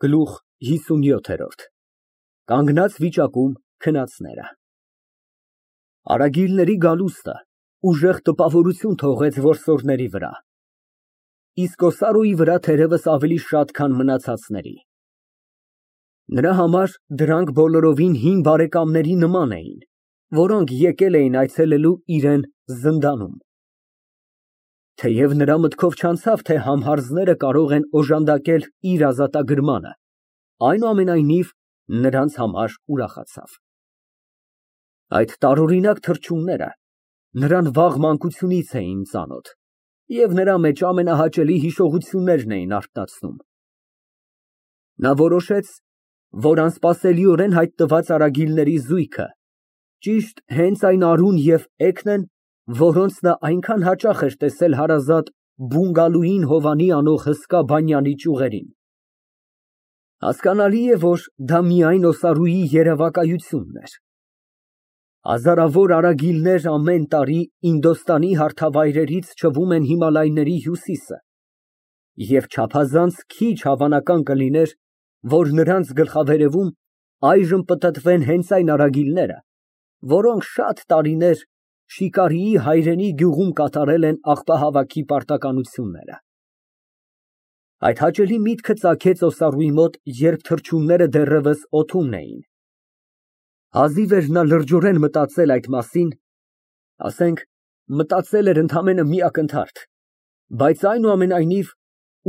Գլուխ 57 Կանգնած վիճակում քնածները Արագիլների գալուստը ուժեղ տպավորություն թողեց որսորդների վրա, իսկ Օսարոյի վրա թերևս ավելի շատ, քան մնացածների։ Նրա համար դրանք բոլորովին հին բարեկամների նման էին, որոնք եկել էին այցելելու իրան զնդանում։ Թեև նրա մտքով չանցավ, թե համհարձները կարող են օժանդակել իր ազատագրմանը, այնուամենայնիվ նրանց համար ուրախացավ։ Այդ տարօրինակ թռչունները նրան վաղ մանկությունից էին ծանոթ և նրա մեջ ամենահաճելի հիշողություններն էին արթնացնում։ Նա որոշեց, որ անսպասելիորեն հայտնված արագիլների զույգը ճիշտ հենց այն Արուն և Էգն են, որոնց նա այնքան հաճախ էր տեսել հարազատ բունգալոյին Հովանի անող հսկա բանյանի ճյուղերին։ Հասկանալի է, որ դա միայն Օսարուի երևակայությունն էր։ Հազարավոր արագիլներ ամեն տարի Ինդոստանի հարթավայրերից չվում են Հիմալայների հյուսիսը, և չափազանց քիչ հավանական կլիներ, որ նրանց գլխավերևում այժմ պտտվեն հենց այն արագիլները, որոնք շատ տարիներ Շիկարիի հայրենի գյուղում կատարել են աղբահավաքի պարտականությունները։ Այդ հաճելի միտքը ծագեց Օսարուի մոտ, երբ թռչունները դեռևս օդում էին։ Հազիվ էր նա լրջորեն մտածել այդ մասին, ասենք, մտածել էր ընդամենը մի ակնթարթ, բայց այնուամենայնիվ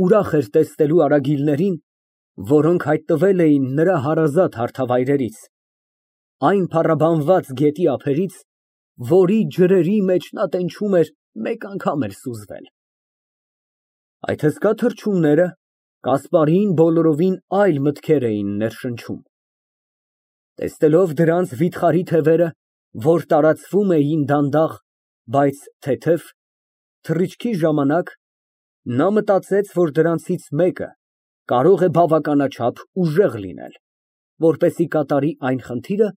ուրախ էր տեսնելու արագիլներին, որոնք հայտնվել էին նրա հարազատ հարթավայրերից, այն փառաբանված գետի ափերից, որի ջրերի մեջ նա տենչում էր մեկ անգամ էլ սուզվել։ Այդ հսկա թռչունները Կասպարիին բոլորովին այլ մտքեր էին ներշնչում։ Տեսնելով դրանց վիթխարի թևերը, որ տարածվում էին դանդաղ, բայց թեթև, թռիչքի ժամանակ, նա մտածեց, որ դրանցից մեկը կարող է բավականաչափ ուժեղ լինել, որպեսզի կատարի այն խնդիրը,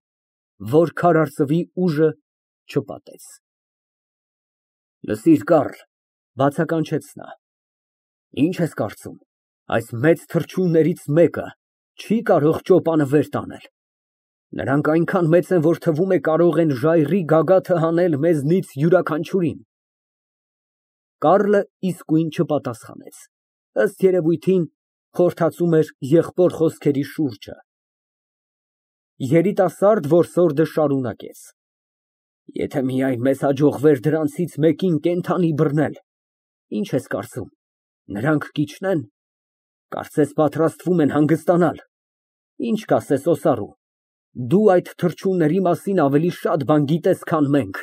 որ քարարծվի ուժը չպատեց։ Լսիր, Կարլ, բացականչեց նա, ի՞նչ ես կարծում, այս մեծ թռչուններից մեկը չի կարող ճոպանը վեր տանել։ Նրանք այնքան մեծ են, որ թվում է կարող են ժայռի գագաթը հանել մեզնից յուրաքանչյուրին։ Կարլը իսկույն չպատասխանեց, ըստ երևույթին խորհրդածում էր եղբոր խոսքերի շուրջը։ Երիտասարդ որսորդը շարունակեց. Եթե միայն մեզ հաջողվեր դրանցից մեկին կենդանի բռնել, ի՞նչ ես կարծում, նրանք կիջնե՞ն, կարծես պատրաստվում են հանգստանալ։ Ինչ կասես, Օսարու, դու այդ թռչունների մասին ավելի շատ բան գիտես, քան մենք։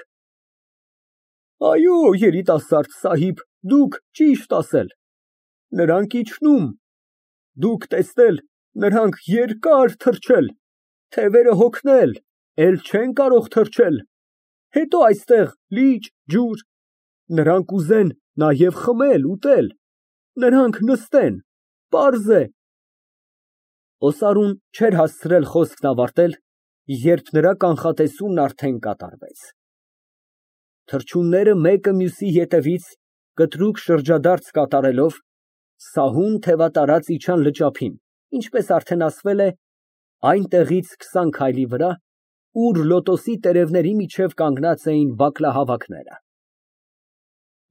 Այո, երիտասարդ սահիբ, դուք ճիշտ ասել, նրանք իջնում, դուք տեսնել, նրանք երկար թռչել, թևերը հոգնել, էլ չեն կարող թռչել, հետո այստեղ լիճ, ջուր, նրանք ուզեն նաև խմել, ուտել, նրանք նստեն, պարզ է։ Օսարուն չէր հասցրել խոսքն ավարտել, երբ նրա կանխատեսումն արդեն կատարվեց։ Թռչունները մեկը մյուսի ետևից կտրուկ շրջադարձ կատարելով, սահուն թևատարած իջան լճափին, ինչպես արդեն ասվել է, այնտեղից 20 քայլի վրա, ուր լոտոսի տերևների միջև կանգնած էին բակլահավաքները։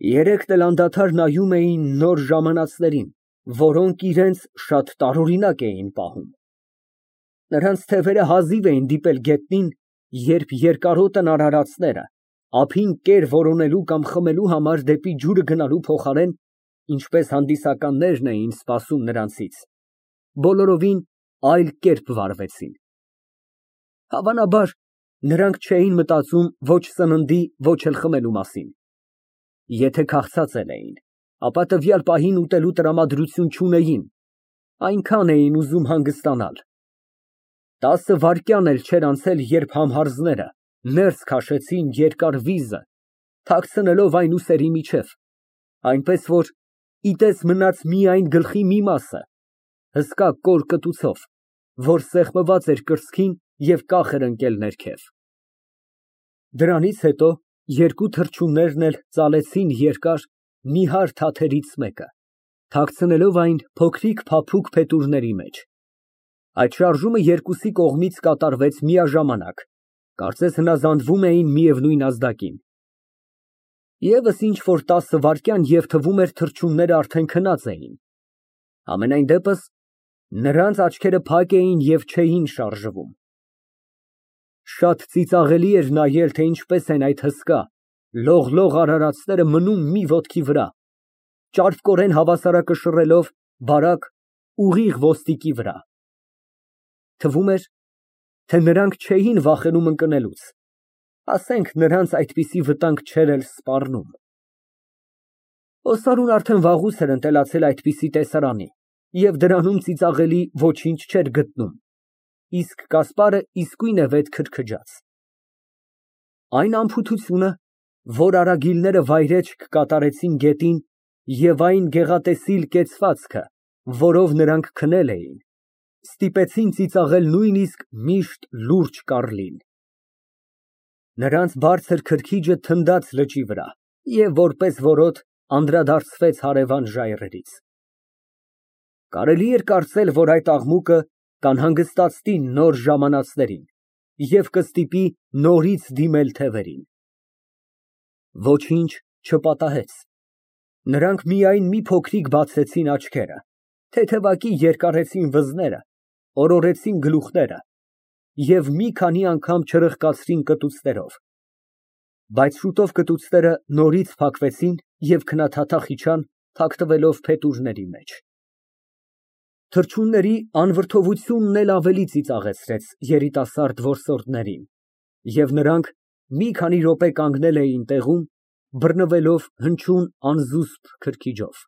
Երեքն էլ անդադար նայում էին նոր ժամանածներին, որոնք իրենց շատ տարօրինակ էին պահում։ Նրանց թևերը հազիվ էին դիպել գետնին, երբ երկարոտն արարածները, ափին կեր որոնելու կամ խմելու համար դեպի ջուրը գնալու փոխարեն, ինչպես հանդիսականներն էին սպասում նրանցից, բոլորովին այլ կերպ վարվեցին։ Հավանաբար, նրանք չէին մտածում ոչ սննդի, ոչ էլ խմելու մասին։ Եթե քաղցած էլ էին, ապա տվյալ պահին ուտելու տրամադրություն չունեին, այնքան էին ուզում հանգստանալ։ 10 վայրկյան էլ չէր անցել, երբ համհարձները ներս քաշեցին երկար վիզը, թաքցնելով այն ուսերի միջև, այնպես որ ի տես մնաց միայն գլխի մի մասը, հսկա կոր կտուցով, որ սեղմված էր կրծքին և կախ էր ընկել ներքև։ Դրանից հետո երկու թռչուններն էլ ծալեցին երկար, նիհար թաթերից մեկը, թաքցնելով այն փոքրիկ փափուկ փետուրների մեջ, Այդ շարժումը երկուսի կողմից կատարվեց միաժամանակ, կարծես հնազանդվում էին միևնույն ազդակին։ Եվս ինչ-որ 10 վայրկյան և թվում էր թռչունները արդեն քնած էին։ Համենայն դեպս, նրանց աչքերը փակ էին և չէին շարժվում։ Շատ ծիծաղելի էր նայել, թե ինչպես են այդ հսկա, լողլող արարածները մնում մի ոտքի վրա, ճարպկորեն հավասարակշռելով բարակ, ուղիղ ոսպիկի վրա։ Թվում էր, թե նրանք չէին վախենում ընկնելուց, ասենք նրանց այդպիսի վտանգ չէր էլ սպառնում։ Օսարուն արդեն վաղուց էր ընտելացել այդպիսի տեսարանի և դրանում ծիծաղելի ոչինչ չէր գտնում, իսկ Կասպարը իսկույն է վետ քրքջաց։ Այն անփութությունը, որ արագիլները վայրէջք կատարեցին գետին, և այն գեղատեսիլ կեցվածքը, որով նրանք քնել էին, ստիպեցին ծիծաղել նույնիսկ միշտ լուրջ Կառլին։ Նրանց բարձր քրքիջը թնդաց լճի վրա և որպես որոտ անդրադարձվեց հարևան ժայռերից։ Կարելի էր կարծել, որ այդ աղմուկը կանհանգստացնի նոր ժամանածներին և կստիպի նորից դիմել թևերին։ Ոչինչ չպատահեց։ Նրանք միայն մի փոքրիկ բացեցին աչքերը, թեթևակի երկարեցին վզները, օրորեցին գլուխները և մի քանի անգամ չրխկացրին կտուցներով, բայց շուտով կտուցները նորից փակվեցին և քնաթաթախ իջան, թաքնվելով փետուրների մեջ։ Թռչունների անվրդովությունն էլ ավելի ծիծաղեցրեց երիտասարդ որսորդներին, և նրանք մի քանի րոպե կանգնել էին տեղում, բռնվելով հնչյուն անզուսպ քրքիջով։